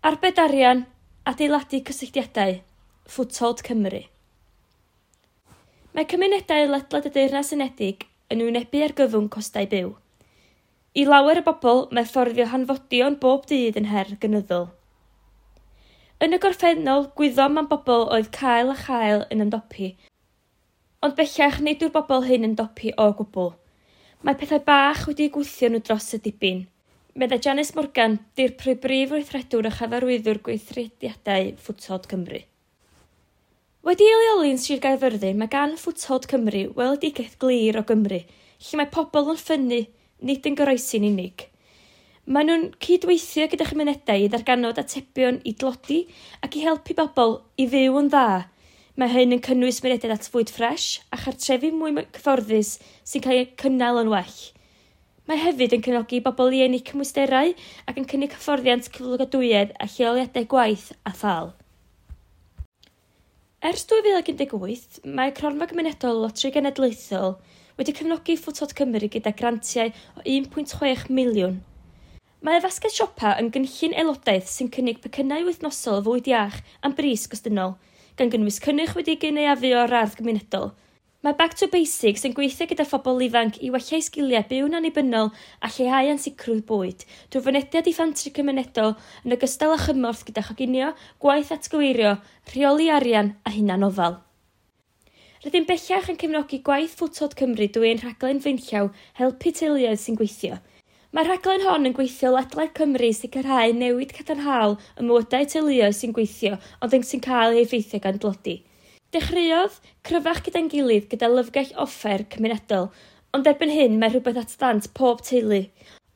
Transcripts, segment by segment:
Arbed arian, adeiladu cysylltiadau, Foothold Cymru. Mae cymunedau ledled y Deyrnas Unedig yn wynebu argyfwng costau byw. I lawer o bobl, mae fforddio hanfodion bob dydd yn her gynyddol. Yn y gorffennol, gwyddom am bobl oedd cael a chael yn ymdopi, ond bellach nid yw'r bobl hyn yn dopi o gwbl. Mae pethau bach wedi'u gwthio nhw dros y dibyn. Meddai Janice Morgan, dirprwy brif weithredwr a chyfarwyddwr gweithrediadau Foothold Cymru. Wedi ei leoli yn Sir Gaerfyrddin, mae gan Foothold Cymru weledigaeth glir o Gymru, lle mae pobl yn ffynnu, nid yn goroesi'n unig. Maen nhw'n cydweithio gyda chymunedau i ddarganfod atebion i dlodi ac i helpu bobl i fyw yn dda. Mae hyn yn cynnwys mynediad at fwyd ffres a chartrefi mwy cyfforddus sy'n cael eu cynnal yn well. Mae hefyd yn cefnogi bobl i ennill cymwysterau ac yn cynnig hyfforddiant cyflogadwyedd a lleoliadau gwaith a thâl. Ers 2018, mae Cronfa Gymunedol Loteri Genedlaethol wedi cefnogi Foothold Cymru gyda grantiau o 1.6 miliwn. Mae y fasged siopa yn gynllun aelodaeth sy'n cynnig pecynnau wythnosol o fwyd iach am bris gostynol, gan gynnwys cynnyrch wedi'i gynaeafu o'r ardd gymunedol. Mae Back to Basics yn gweithio gyda phobl ifanc i wella eu sgiliau byw'n annibynnol a lleihau ansicrwydd bwyd, drwy fynediad i fantri cymunedol yn ogystal â chymorth gyda choginio, gwaith atgyweirio, rheoli arian a hunanofal. Rydym bellach yn cefnogi gwaith Foothold Cymru drwy ein rhaglen flaenllaw Helpu Teuluoedd sy'n Gweithio. Mae'r rhaglen hon yn gweithio ledled Cymru i sicrhau newid cadarnhaol ym mywydau teuluoedd sy'n gweithio ond sy'n cael eu heffeithio gan dlodi. Dechreuodd Cryfach gyda'n gilydd gyda lyfrgell offer cymunedol, ond erbyn hyn mae rhywbeth at ddant pob teulu.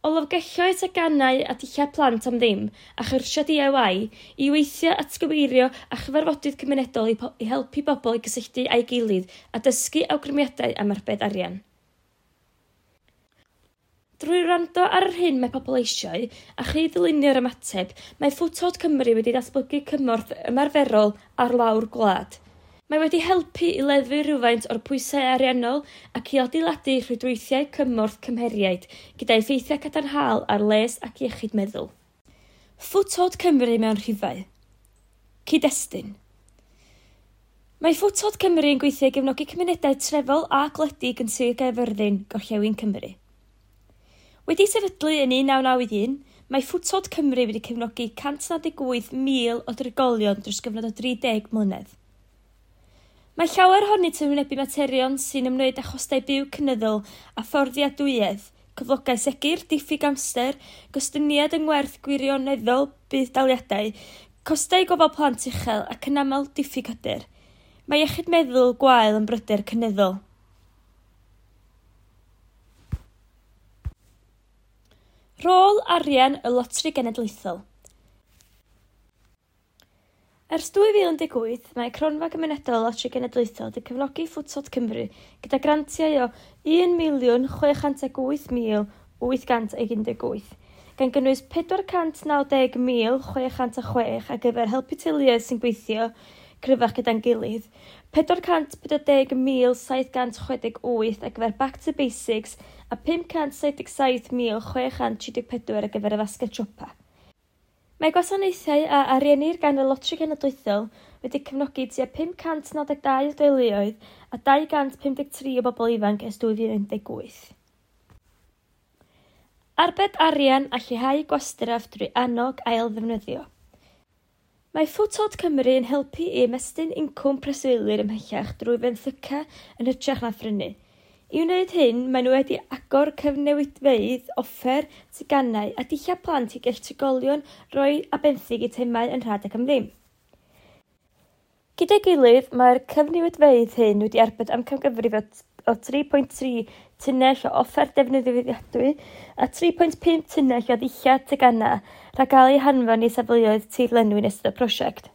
O lyfrgelloedd teganau a dillad plant am ddim a chyrsiau DIY i weithio atgyweirio a chyfarfodydd cymunedol i, i helpu bobl i gysylltu â'i gilydd a dysgu awgrymiadau am arbed arian. Drwy wrando ar yr hyn mae pobl eisiau a chyd-ddylunio'r ymateb, mae Foothold Cymru wedi datblygu cymorth ymarferol ar lawr gwlad. Mae wedi helpu i leddfu rhywfaint o'r pwysau ariannol ac i adeiladu rhwydweithiau cymorth cymheriaid gyda effeithiau cadarnhaol ar les ac iechyd meddwl. Foothold Cymru mewn rhifau. Cyd-destun. Mae Foothold Cymru yn gweithio i gefnogi cymunedau trefol a gwledig yn Sir Gaerfyrddin, Gorllewin Cymru. Wedi sefydlu yn 1991, mae Foothold Cymru wedi cefnogi 198,000 o drigolion dros gyfnod o 30 mlynedd. Mae llawer ohonynt yn wynebu materion sy'n ymwneud â chostau byw cynyddol a fforddiadwyedd, cyflogau segur, diffyg amser, gostyngiad yng ngwerth gwirioneddol budd-daliadau, costau gofal plant uchel ac yn aml diffyg hyder. Mae iechyd meddwl gwael yn bryder cynyddol. Rôl arian y Loteri Genedlaethol. Ers 2018, mae Cronfa Gymunedol Loteri Genedlaethol wedi cefnogi Foothold Cymru gyda grantiau o 1,608,818, gan gynnwys 490,606 ar gyfer helpu teuluoedd sy'n gweithio cryfach gyda'n gilydd, 440,768 ar gyfer Back to Basics a 577,634 ar gyfer y fasged siopa. Mae gwasanaethau a ariennir gan y Loteri Genedlaethol wedi cefnogi tua 592 o deuluoedd a 253 o bobl ifanc ers 2018. Arbed arian a lleihau gwastraff drwy annog ail-ddefnyddio. Mae Foothold Cymru yn helpu i ymestyn incwm preswylwyr ymhellach drwy fenthyca yn hytrach na phrynu. I wneud hyn, maen nhw wedi agor cyfnewidfeydd, offer, teganau a dillad plant i gall trigolion roi a benthyg eitemau yn rhad ac am ddim. Gyda'i gilydd, mae'r cyfnewidfeydd hyn wedi arbed amcangyfrif o 3.3 tunnell o offer defnyddiadwy a 3.5 tunnell o ddillad teganau rhag gael eu hanfon i safleoedd tirlenwi yn ystod y prosiect.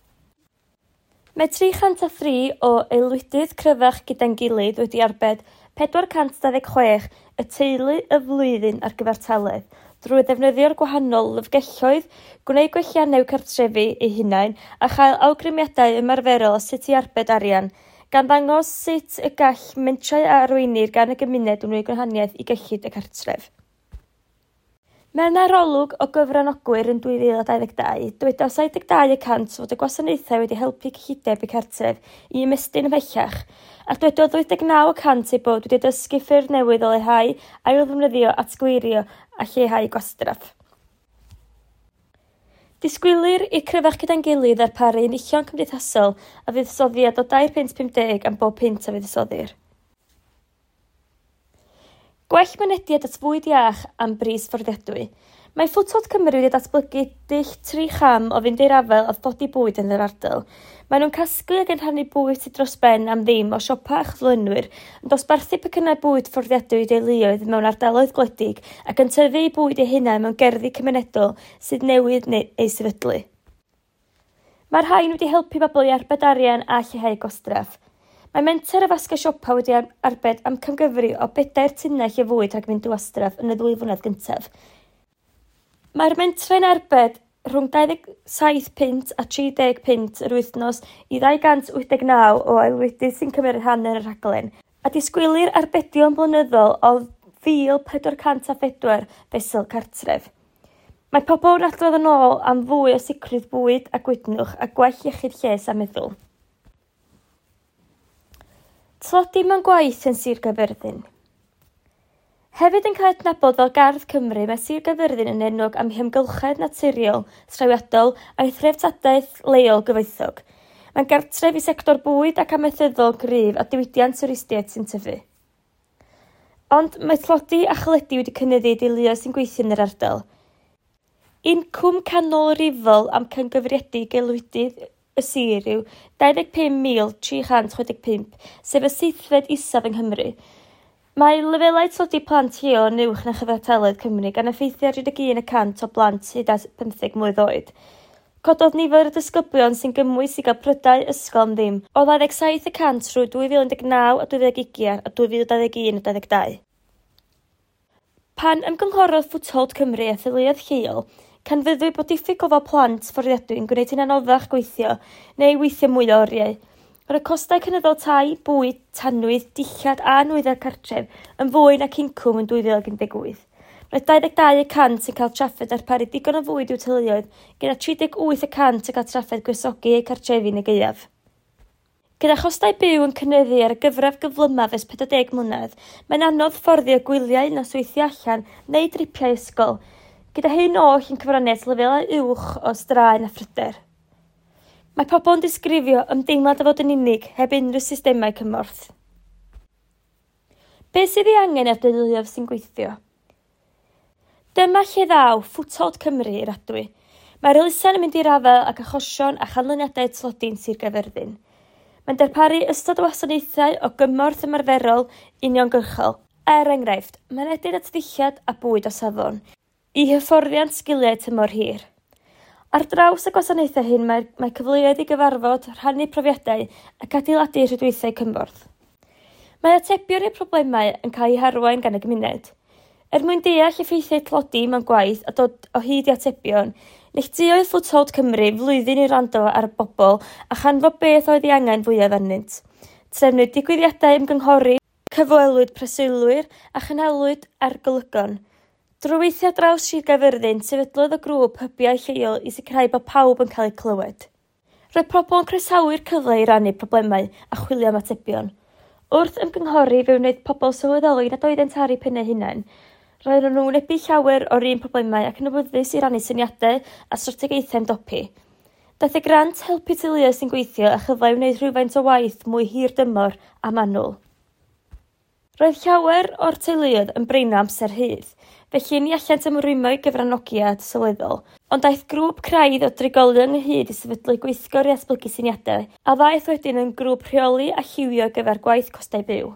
Mae 303 o aelwydydd cryfach gyda'n gilydd wedi arbed 426 y teulu y flwyddyn ar gyfartaledd drwy ddefnyddio'r gwahanol lyfrgelloedd, gwneud gwelliannau i'w cartrefi eu hunain a chael awgrymiadau ymarferol o sut i arbed arian, gan ddangos sut y gall mentrau a arweinir gan y gymuned wneud gwahaniaeth i gyllid y cartref. Mewn arolwg o gyfranogwyr yn 2022, dywedodd 72% fod y gwasanaethau wedi helpu cyllideb eu cartref i ymestyn ymhellach, a dywedodd 89% eu bod wedi dysgu ffyrdd newydd o leihau, ailddefnyddio, atgyweirio a lleihau gwastraff. Disgwylir i'r Cryfach Gyda'n Gilydd ddarparu enillion cymdeithasol a fuddsoddiad o £3.50 am bob punt a fuddsoddir. Gwell mynediad at fwyd iach am bris fforddiadwy. Mae Foothold Cymru wedi datblygu dull tri cham o fynd i'r afael â thlodi bwyd yn yr ardal. Maen nhw'n casglu ac yn rhannu bwyd sydd dros ben am ddim o siopa a chyflenwyr, yn dosbarthu pecynnau bwyd fforddiadwy i deuluoedd mewn ardaloedd gwledig ac yn tyfu eu bwyd eu hunain mewn gerddi cymunedol sydd newydd neu eu sefydlu. Mae'r rhain wedi helpu bobl i arbed arian a lleihau gwastraff. Mae menter y fasged siopa wedi arbed amcangyfrif o 4 tunnell o fwyd rhag mynd i wastraff yn y 2 flynedd gyntaf. Mae'r mentrau'n arbed rhwng 27 punt a 30 punt yr wythnos i 289 o aelwydydd sy'n cymryd rhan yn y rhaglen, a disgwylir arbedion blynyddol o 1,404 fesul cartref. Mae pobl yn adrodd yn ôl am fwy o sicrwydd bwyd a gwydnwch a gwell iechyd lles a meddwl. Tlodi mewn gwaith yn Sir Gaerfyrddin. Hefyd yn cael ei adnabod fel Gardd Cymru, mae Sir Gaerfyrddin yn enwog am ei hamgylchedd naturiol, trawiadol a'i threftadaeth leol gyfoethog. Mae'n gartref i sector bwyd ac amaethyddol gryf a diwydiant twristiaeth sy'n tyfu. Ond mae tlodi a chaledi wedi cynyddu i deuluoedd sy'n gweithio yn yr ardal. Incwm canolrifol amcangyfrifedig aelwydydd y sir yw 25,365, sef y seithfed isaf yng Nghymru. Mae lefelau tlodi plant lleol yn uwch na chyfartaledd Cymru, gan effeithio ar 31% o blant hyd at 15 mlwydd oed. Cododd nifer y disgyblion sy'n gymwys i gael prydau ysgol am ddim o 27% rhwng 2019 a 2020 a 2021 a 2022. Pan ymgynghorodd Foothold Cymru a theuluoedd lleol, canfyddwyd bod diffyg gofal plant fforddiadwy yn gwneud hi'n anoddach gweithio neu weithio mwy o oriau. Roedd y costau cynyddol tai, bwyd, tanwydd, dillad a nwyddau cartref yn fwy nac incwm yn 2018. Roedd 22% yn cael trafferth darparu digon o fwyd i'w teuluoedd, gyda 38% yn cael trafferth gwresogi eu cartrefi yn y gaeaf. Gyda chostau byw yn cynyddu ar y gyfradd gyflymaf ers 40 mlynedd, mae'n anodd fforddio gwyliau, nosweithiau allan neu dripiau ysgol, gyda hyn oll yn cyfrannu at lefelau uwch o straen a phryder. Mae pobl yn disgrifio ymdeimlad o fod yn unig heb unrhyw systemau cymorth. Be sydd ei angen ar deuluoedd sy'n gweithio? Dyma lle ddaw Foothold Cymru i'r adwy. Mae'r elusen yn mynd i'r afael ag achosion a chanlyniadau tlodi yn Sir Gaerfyrddin. Mae'n darparu ystod o wasanaethau o gymorth ymarferol uniongyrchol. Er enghraifft, mynediad at ddillad a bwyd o safon, i hyfforddiant sgiliau tymor hir. Ar draws y gwasanaethau hyn mae cyfleoedd i gyfarfod, rhannu profiadau ac adeiladu rhwydweithiau cymorth. Mae atebion i'r problemau yn cael eu harwain gan y gymuned. Er mwyn deall effeithiau tlodi mewn gwaith a dod o hyd i atebion, neilltuodd Foothold Cymru flwyddyn i wrando ar y bobl a chanfod beth oedd ei angen fwyaf arnynt. Trefnwyd digwyddiadau ymgynghori, cyfwelwyd preswylwyr a chynhalwyd argolygon. Drwy weithio draws Sir Gaerfyrddin, sefydlodd y grŵp hybiau lleol i sicrhau bod pawb yn cael eu clywed. Roedd pobl yn croesawu'r cyfle i rannu problemau a chwilio am atebion. Wrth ymgynghori, fe wnaeth pobl sylweddoli nad oeddent ar eu pennau hunain. Roedden nhw'n wynebu llawer o'r un problemau ac yn awyddus i rannu syniadau a strategaethau ymdopi. Daeth y grant helpu teuluoedd sy'n gweithio a chyfle i wneud rhywfaint o waith mwy hir dymor a manwl. Roedd llawer o'r teuluoedd yn breino amser rhydd, felly ni allent ymrwymo i gyfranogiad sylweddol, ond daeth grŵp craidd o drigolion ynghyd i sefydlu gweithgor i ddatblygu syniadau, a ddaeth wedyn yn grŵp rheoli a lliwio ar gyfer gwaith costau byw.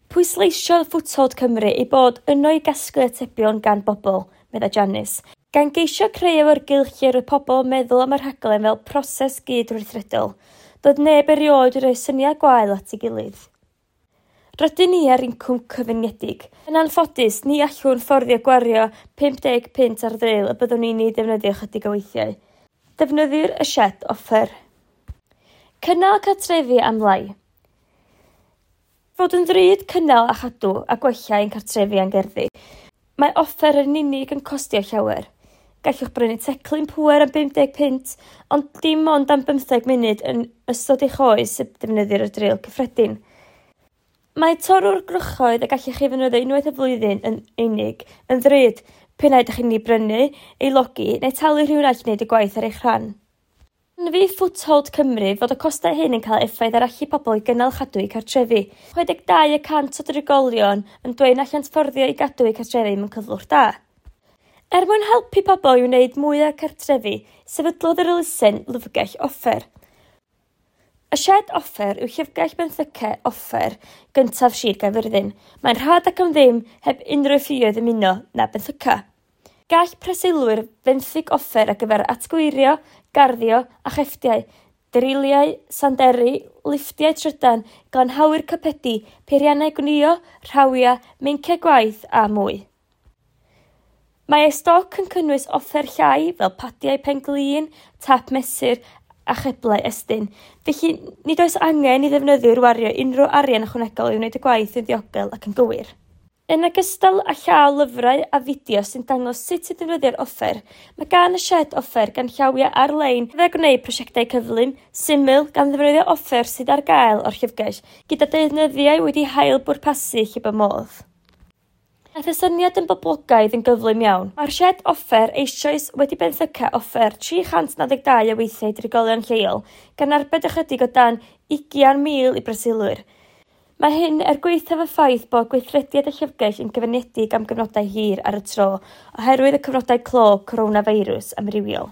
Pwysleisiodd Foothold Cymru ei bod yno i gasglu atebion gan bobl, meddai Janice, gan geisio creu awyrgylch lle roedd pobl yn meddwl am y rhaglen fel proses gydweithredol. Doedd neb erioed wedi rhoi syniad gwael at ei gilydd. Rydyn ni ar incwm cyfyngedig. Yn anffodus, ni allwn fforddio gwario 50 punt ar ddril y byddwn ni'n ei ddefnyddio chydig o weithiau. Defnyddir y sied offer. Cynnal cartrefi am lai. Fod yn ddrud cynnal a chadw a gwella ein cartrefi a'n gerddi. Mae offer yn unig yn costio llawer. Gallwch brynu teclyn pŵer am 50 punt, ond dim ond am 15 munud yn ystod eich oes y defnyddir y dril cyffredin. Mae torrwr gwrychoedd y gallwch chi ddefnyddio unwaith y flwyddyn yn unig yn ddrud, p'un ai ydych chi'n ei brynu, ei logi neu talu rhywun arall i wneud y gwaith ar eich rhan. Canfu Foothold Cymru fod y costau hyn yn cael effaith ar allu pobl i gynnal chadw eu cartrefi. 62% o drigolion yn dweud na allant fforddio i gadw eu cartrefi mewn cyflwr da. Er mwyn helpu pobl i wneud mwy o'r cartrefi, sefydlodd yr elusen lyfrgell offer. Y sied offer yw llyfrgell benthyca offer gyntaf Sir Gaerfyrddin. Mae'n rhad ac am ddim heb unrhyw ffioedd ymuno na benthyca. Gall preswylwyr fenthyg offer ar gyfer atgyweirio, garddio a chefftiau, driliau, sanderi, lifftiau trydan, glanhawyr carpedi, peiriannau gwnïo, rhawiau, meinciau gwaith a mwy. Mae ei stoc yn cynnwys offer llai fel padiau pen-glin, tap mesur a cheblau estyn, felly nid oes angen i ddefnyddwyr wario unrhyw arian ychwanegol i wneud y gwaith yn ddiogel ac yn gywir. Yn ogystal â llaw lyfrau a fideos sy'n dangos sut i ddefnyddio'r offer, mae gan y sied offer ganllawiau ar-lein gyfer gwneud prosiectau cyflym, syml gan ddefnyddio offer sydd ar gael o'r llyfrgell, gyda deunyddiau wedi hail bwrpasu lle bo modd. Daeth y syniad yn boblogaidd yn gyflym iawn. Mae'r sied offer eisoes wedi benthyca offer 392 o weithiau i drigolion lleol, gan arbed ychydig o dan 20,000 i breswylwyr. Mae hyn er gwaethaf y ffaith bod gweithrediad y llyfrgell yn gyfyngedig am gyfnodau hir ar y tro oherwydd y cyfnodau clo coronafeirws amrywiol.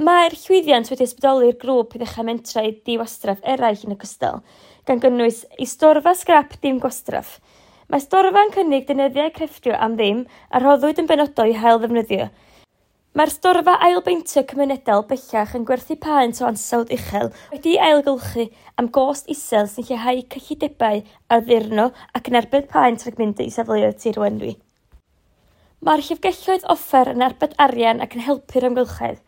Mae'r llwyddiant wedi ysbrydoli'r grŵp i ddechrau mentrau diwastraff eraill yn ogystal, gan gynnwys ei storfa sgrap dim gwastraff. Mae storfa'n cynnig deunyddiau crefftio am ddim a rhoddwyd yn benodol i hail ddefnyddio. Mae'r storfa ailbeintio cymunedol bellach yn gwerthu paent o ansawdd uchel wedi'i ailgylchu am gost isel sy'n lleihau cyllidebau addurno ac yn arbed paent rhag mynd i safleoedd tirlenwi. Mae'r llyfrgelloedd offer yn arbed arian ac yn helpu'r amgylchedd.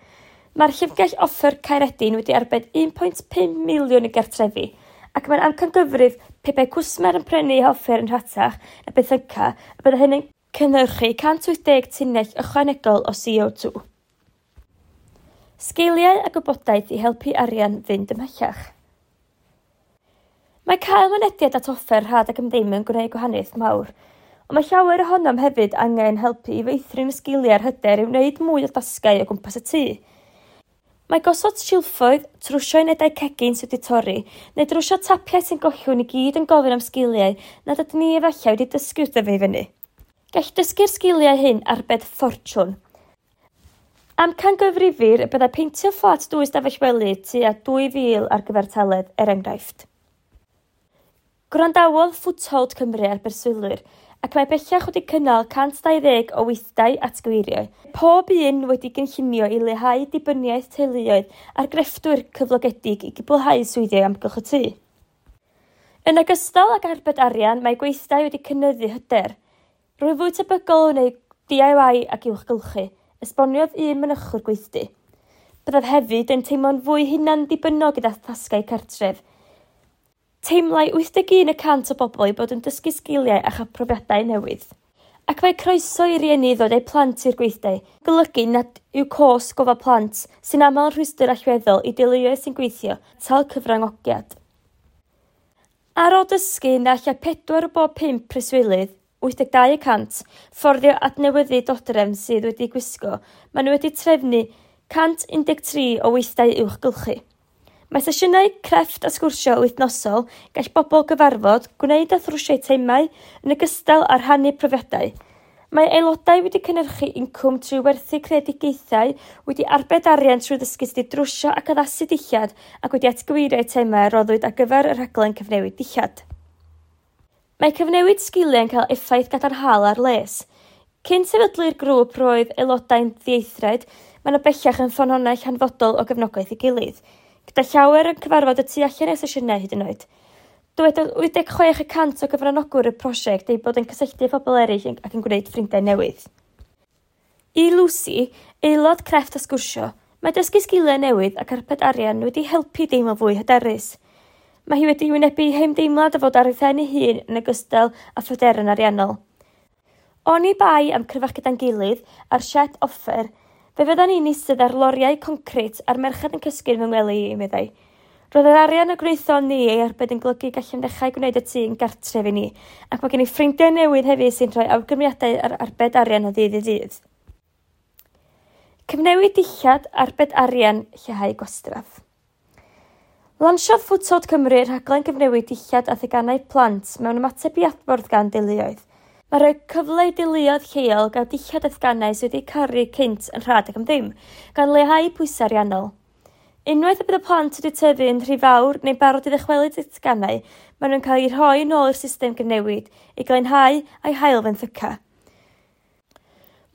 Mae'r llyfrgell offer Caeredin wedi arbed 1.5 miliwn i gartrefi, ac mae'n amcangyfrif pe bai cwsmer yn prynu eu hoffer yn rhatach na benthyca y byddai hynny'n cynhyrchu 180 tunnell ychwanegol o CO2. Sgiliau a gwybodaeth i helpu arian fynd ymhellach. Mae cael mynediad at offer rhad ac am ddim yn gwneud gwahaniaeth mawr, ond mae llawer ohonom hefyd angen helpu i feithrin y sgiliau a'r hyder i wneud mwy o dasgau o gwmpas y tŷ. Mae gosod silffoedd, trwsio unedau cegin sydd wedi torri, neu drwsio tapiau sy'n gollwng i gyd yn gofyn am sgiliau nad ydyn ni efallai wedi dysgu wrth dyfu i fyny. Gall dysgu'r sgiliau hyn arbed ffortiwn. Amcangyfrifir y byddai peintio fflat dwy stafell wely tua 2,000 ar gyfartaledd, er enghraifft. Gwrandawodd Foothold Cymru ar berswylwyr, ac mae bellach wedi cynnal 120 o weithdai atgyweirio, pob un wedi gynllunio i leihau dibyniaeth teuluoedd ar grefftwyr cyflogedig i gwblhau swyddi o amgylch y tŷ. Yn ogystal ag arbed arian, mae gweithdai wedi cynyddu hyder. Rwy'n fwy tebygol o wneud DIY ac uwchgylchu, esboniodd un mynychwr gweithdy. Byddaf hefyd yn teimlo'n fwy hunan-ddibynnol gyda thasgau cartref. Teimlai 81% o bobl eu bod yn dysgu sgiliau a chael profiadau newydd. Ac mae croeso i rieni ddod â'u plant i'r gweithdai, golygu nad yw cost gofal plant, sy'n aml yn rhwystr allweddol i deuluoedd sy'n gweithio, atal cyfranogiad. Ar ôl dysgu na allai 4 o bob 5 preswylydd, 82%, fforddio adnewyddu dodrefn sydd wedi gwisgo, maen nhw wedi trefnu 113 o weithdai uwchgylchu. Mae sesiynau crefft a sgwrsio wythnosol, gall bobl gyfarfod, gwneud a thrwsio eitemau, yn ogystal â rhannu profiadau. Mae aelodau wedi cynhyrchu incwm trwy werthu creadigaethau, wedi arbed arian trwy ddysgu sut i drwsio ac addasu dillad ac wedi atgyweirio eitemau a roddwyd ar gyfer y rhaglen cyfnewid dillad. Mae cyfnewid sgiliau yn cael effaith gadarnhaol ar les. Cyn sefydlu'r grŵp roedd aelodau'n ddieithriad, maen nhw bellach yn ffynhonnell hanfodol o gefnogaeth ei gilydd, gyda llawer yn cyfarfod y tu allan i'r sesiynau hyd yn oed. Dywedodd 86% o gyfranogwyr y prosiect eu bod yn cysylltu â phobl eraill ac yn gwneud ffrindiau newydd. I Lucy, aelod crefft a sgwrsio, mae dysgu sgiliau newydd ac arbed arian wedi helpu deimlo fwy hyderus. Mae hi wedi wynebu hymdeimlad o fod ar ei phen ei hun yn ogystal â phryderon ariannol. Oni bai am Cryfach Gyda'n Gilydd a'r sied offer, fe fyddan ni'n eistedd ar loriau concrit a'r merched yn cysgu yn fy ngwely i, meddai. Roedd yr arian y gwnaethon ni ei arbed yn golygu gallem ddechrau gwneud y tŷ yn gartref i ni, ac mae gen i ffrindiau newydd hefyd sy'n rhoi awgrymiadau ar arbed arian o ddydd i ddydd. Cyfnewid dillad, arbed arian, lleihau gwastraff. Lansiodd Foothold Cymru rhaglen gyfnewid dillad a theganau plant mewn ymateb i adborth gan deuluoedd. Mae rhoi cyfle i deuluoedd lleol gael dillad a theganau sydd wedi caru cynt yn rhad ac am ddim, gan leihau pwysau ariannol. Unwaith y bydd y plant wedi tyfu yn rhy fawr neu'n barod i ddychwelyd y teganau, maen nhw'n cael eu rhoi yn ôl i'r system gyfnewid, i glanhau a'i hail fenthyca.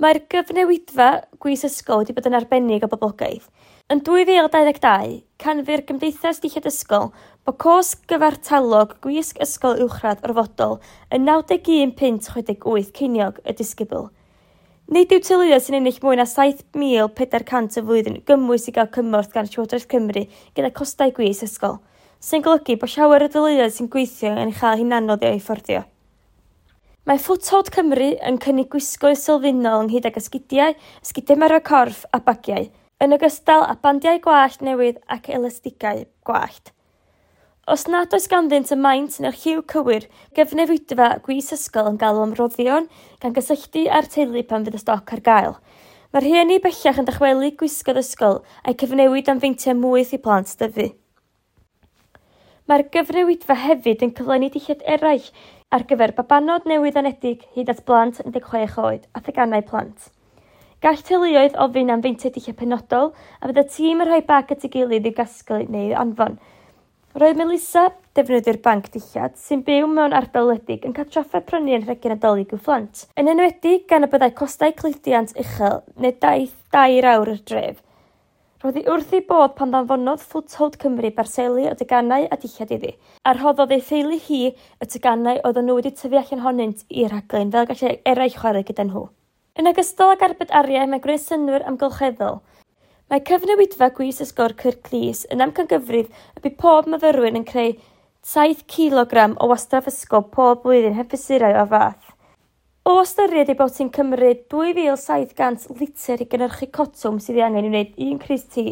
Mae'r gyfnewidfa gwis ysgol wedi bod yn arbennig o boblogaidd. Yn 2022, canfu'r Gymdeithas Dillad Ysgol bod cost gyfartalog gwisg ysgol uwchradd orfodol yn 91.68 ceiniog y disgybl. Nid yw teuluoedd sy'n ennill mwy na 7,400 y flwyddyn gymwys i gael cymorth gan Llywodraeth Cymru gyda costau gwisg ysgol, sy'n golygu bod llawer o deuluoedd sy'n gweithio yn ei chael hi'n anodd i'w fforddio. Mae Foothold Cymru yn cynnig gwisgoedd sylfaenol ynghyd ag esgidiau, esgidiau ymarfer corff a bagiau, yn ogystal â bandiau gwallt newydd ac elastigau gwallt. Os nad oes ganddynt y maint neu'r lliw cywir, gyfnewidfa gwis ysgol yn galw am roddion gan gysylltu â'r teulu pan fydd y stoc ar gael. Mae'r rhieni bellach yn dychwelu gwisgoedd ysgol a'i cyfnewid am feintiau mwy i plant dyfu. Mae'r gyfnewidfa hefyd yn cyflenwi dillad eraill ar gyfer babanod newydd anedig hyd at blant 16 oed a theganau plant. Gall teuluoedd ofyn am feintiau dillad penodol a fydd y tîm yn rhoi bag at ei gilydd i'w gasglu neu anfon. Roedd Melissa, defnyddio'r banc dillad, sy'n byw mewn ardal wledig yn cael trafferth prynu anrhegion Nadolig i'w phlant, yn enwedig gan y byddai costau cludiant uchel neu daith 2 awr i'r dref. Roedd hi wrth ei bodd pan ddanfonodd Foothold Cymru barseli o deganau a dillad iddi, a rhoddodd ei theulu hi y teganau oedden nhw wedi tyfu allan ohonynt i'r rhaglen fel gallai eraill chwarae gyda nhw. Yn ogystal ag arbed arian, mae gwneud synnwyr amgylcheddol. Mae cyfnewidfa gwis ysgol Kirklees yn amcangyfrif y bydd pob myfyrwyr yn creu 7 kg o wastraff ysgol pob blwyddyn heb fesurau o'r fath. O ystyried ei bod hi'n cymryd 2,700 litr i gynhyrchu cotwm sydd ei angen i wneud un crys T,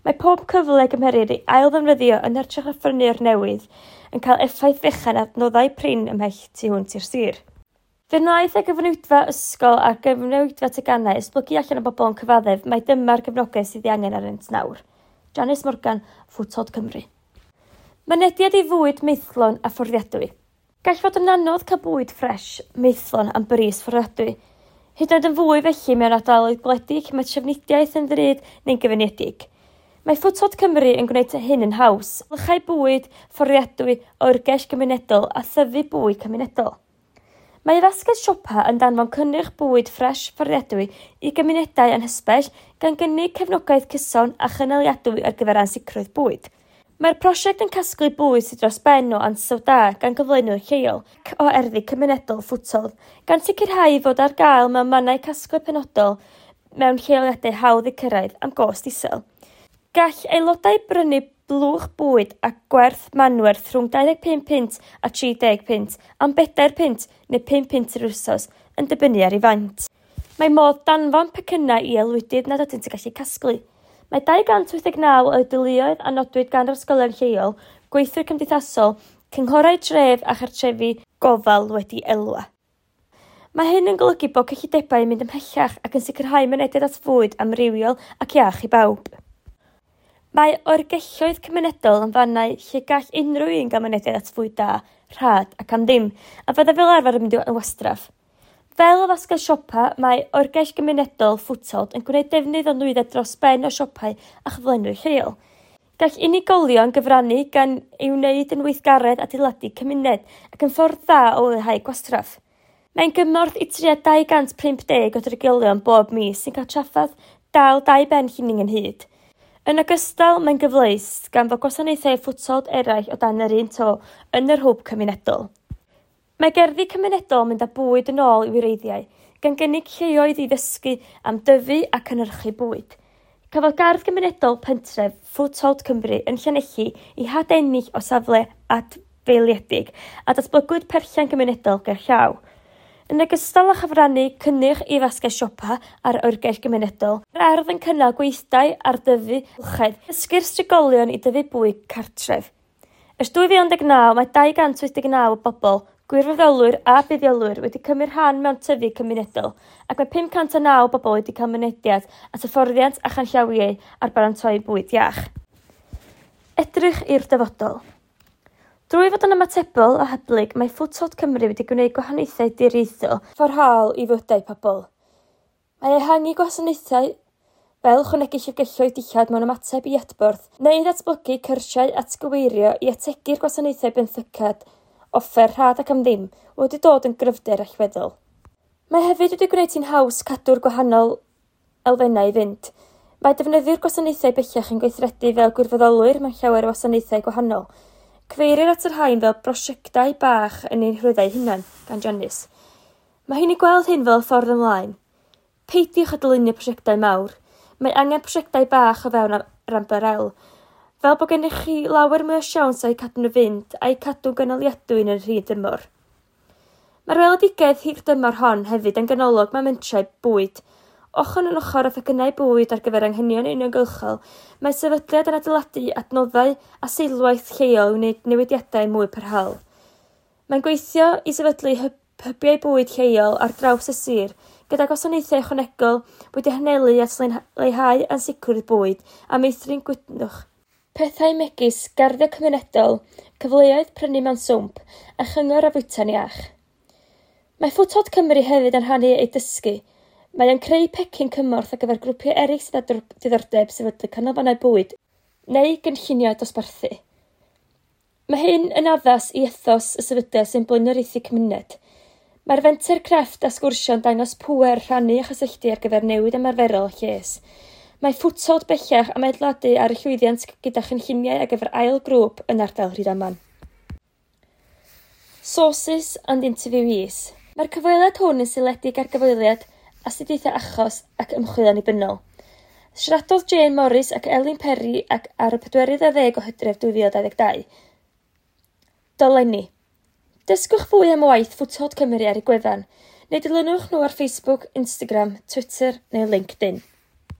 mae pob cyfle gymherir ei ail-ddefnyddio yn hytrach na phrynu'r newydd yn cael effaith fechan adnoddau prin ymhell tu hwnt i'r sir. Fe wnaeth y gyfnewidfa ysgol a'r gyfnewidfa teganau esblygu allan o bobl yn cyfaddef mai dyma'r gefnogaeth sydd ei angen arnynt nawr. Janice Morgan, Foothold Cymru. Mynediad i fwyd maethlon a fforddiadwy. Gall fod yn anodd cael bwyd ffres, maethlon am bris fforddiadwy. Hyd yn oed yn fwy felly mewn ardaloedd gwledig lle mae trafnidiaeth yn ddrud neu'n gyfyngedig. Mae Foothold Cymru yn gwneud hyn yn haws, blychau bwyd fforddiadwy, oergell gymunedol a thyfu bwyd cymunedol. Mae fasged siopa yn danfon cynnyrch bwyd ffres fforddiadwy i gymunedau anghysbell gan gynnig cefnogaeth cyson a chynaliadwy ar gyfer ansicrwydd bwyd. Mae'r prosiect yn casglu bwyd sydd dros ben o ansawdd da gan gyflenwyr lleol ac o erddi cymunedol Foothold, gan sicrhau fod ar gael mewn mannau casglu penodol mewn lleoliadau hawdd eu cyrraedd am gost isel. Gall aelodau brynu blwch bwyd a gwerth manwerth rhwng 25 punt a 30 punt am 4 punt neu 5 punt yr wsos yn dibynnu ar ei faint. Mae modd danfon pecynnau i aelwydydd nad ydynt yn gallu casglu. Mae 289 o deuluoedd a nodwyd gan yr ysgolion lleol, gweithwyr cymdeithasol, cynghorau tref a chartrefi gofal wedi elwa. Mae hyn yn golygu bod cyllidebau yn mynd ymhellach ac yn sicrhau mynediad at fwyd amrywiol ac iach i bawb. Mae oergelloedd cymunedol yn fannau lle gall unrhyw un gael mynediad at fwyd da, rhad ac am ddim, a fyddai fel arfer yn mynd yn wastraff. Fel y fasged siopa, mae oergell gymunedol Foothold yn gwneud defnydd o nwyddau dros ben o siopau a chyflenwyr lleol. Gall unigolion gyfrannu gan ei wneud yn weithgaredd adeiladu cymuned ac yn ffordd dda o leihau gwastraff. Mae'n gymorth i tua 250 o drigolion bob mis sy'n cael trafferth dal dau ben llinyn ynghyd. Yn ogystal, mae'n gyfleus gan fod gwasanaethau Foothold eraill o dan yr un to yn yr hwb cymunedol. Mae gerddi cymunedol yn mynd â bwyd yn ôl i'w wreiddiau, gan gynnig lleoedd i ddysgu am dyfu a cynhyrchu bwyd. Cafodd gardd gymunedol pentref Foothold Cymru yn Llanelli ei hadennill o safle adfeiliedig a datblygwyd perllan gymunedol ger llaw. Yn ogystal â chyfrannu cynnyrch i fasged siopa a'r oergell gymunedol, mae'r ardd yn cynnal gweithdai ar dyfu amgylchedd, dysgu'r trigolion i dyfu bwyd cartref. Ers 2019, mae 289 o bobl, gwirfoddolwyr a buddiolwyr wedi cymryd rhan mewn tyfu cymunedol, ac mae 509 o bobl wedi cael mynediad at hyfforddiant a chanllawiau ar baratoi bwyd iach. Edrych i'r dyfodol. Drwy fod yn ymatebol a hyblyg, mae Foodtot Cymru wedi gwneud gwahaniaethau diriaethol parhaol i fywydau pobl. Mae ehangu gwasanaethau fel ychwanegu llyfrgelloedd dillad mewn ymateb i adborth, neu ddatblygu cyrsiau atgyweirio i ategu'r gwasanaethau benthycad offer rhad ac am ddim, wedi dod yn gryfder allweddol. Mae hefyd wedi gwneud hi'n haws cadw'r gwahanol elfennau i fynd. Mae defnyddio'r gwasanaethau bellach yn gweithredu fel gwirfoddolwyr mewn llawer o wasanaethau gwahanol. Cyfeirir at y rhain fel brosiectau bach yn ein rhwyddau hunain, gan Janice. Mae hi'n ei gweld hyn fel ffordd ymlaen. Peidiwch â dylunio prosiectau mawr. Mae angen prosiectau bach o fewn yr ymbarel, fel bod gennych chi lawer mwy o siawns o'u cadw nhw fynd a'u cadw'n gynaliadwy yn yr hir dymor. Mae'r weledigaeth hir dymor hon hefyd yn ganolog mewn mentrau bwyd. Ochr yn ochr â phecynnau bwyd ar gyfer anghenion uniongyrchol, mae sefydliad yn adeiladu adnoddau a seilwaith lleol i wneud newidiadau mwy parhaol. Mae'n gweithio i sefydlu hybiau bwyd lleol ar draws y sir, gyda gwasanaethau ychwanegol wedi hanelu at leihau ansicrwydd bwyd a meithrin gwytnwch. Pethau megis garddio cymunedol, cyfleoedd prynu mewn swmp a chyngor ar fwyta'n iach. Mae Foodtot Cymru hefyd yn rhannu ei dysgu. Mae o'n creu pecyn cymorth ar gyfer grwpiau eraill sydd â diddordeb sefydlu canolfannau bwyd neu gynlluniau dosbarthu. Mae hyn yn addas i ethos y sefydliad sy'n blaenoriaethu cymuned. Mae'r fenter crefft a sgwrsio'n dangos pŵer rhannu a chysylltu ar gyfer newid ymarferol a lles. Mae Foodtot bellach am adeiladu ar y llwyddiant gyda chynlluniau ar gyfer ail grŵp yn ardal Rhydaman. Sources and interviewees. Mae'r cyfweliad hwn yn seiliedig ar gyfweliad, astudiaethau achos ac ymchwil annibynnol. Siaradodd Jane Morris ac Elin Perry ac ar y 40 o Hydref 2022. Dolenni. Dysgwch fwy am waith Foodtot Cymru ar eu gwefan, neu dilynwch nhw ar Facebook, Instagram, Twitter neu LinkedIn.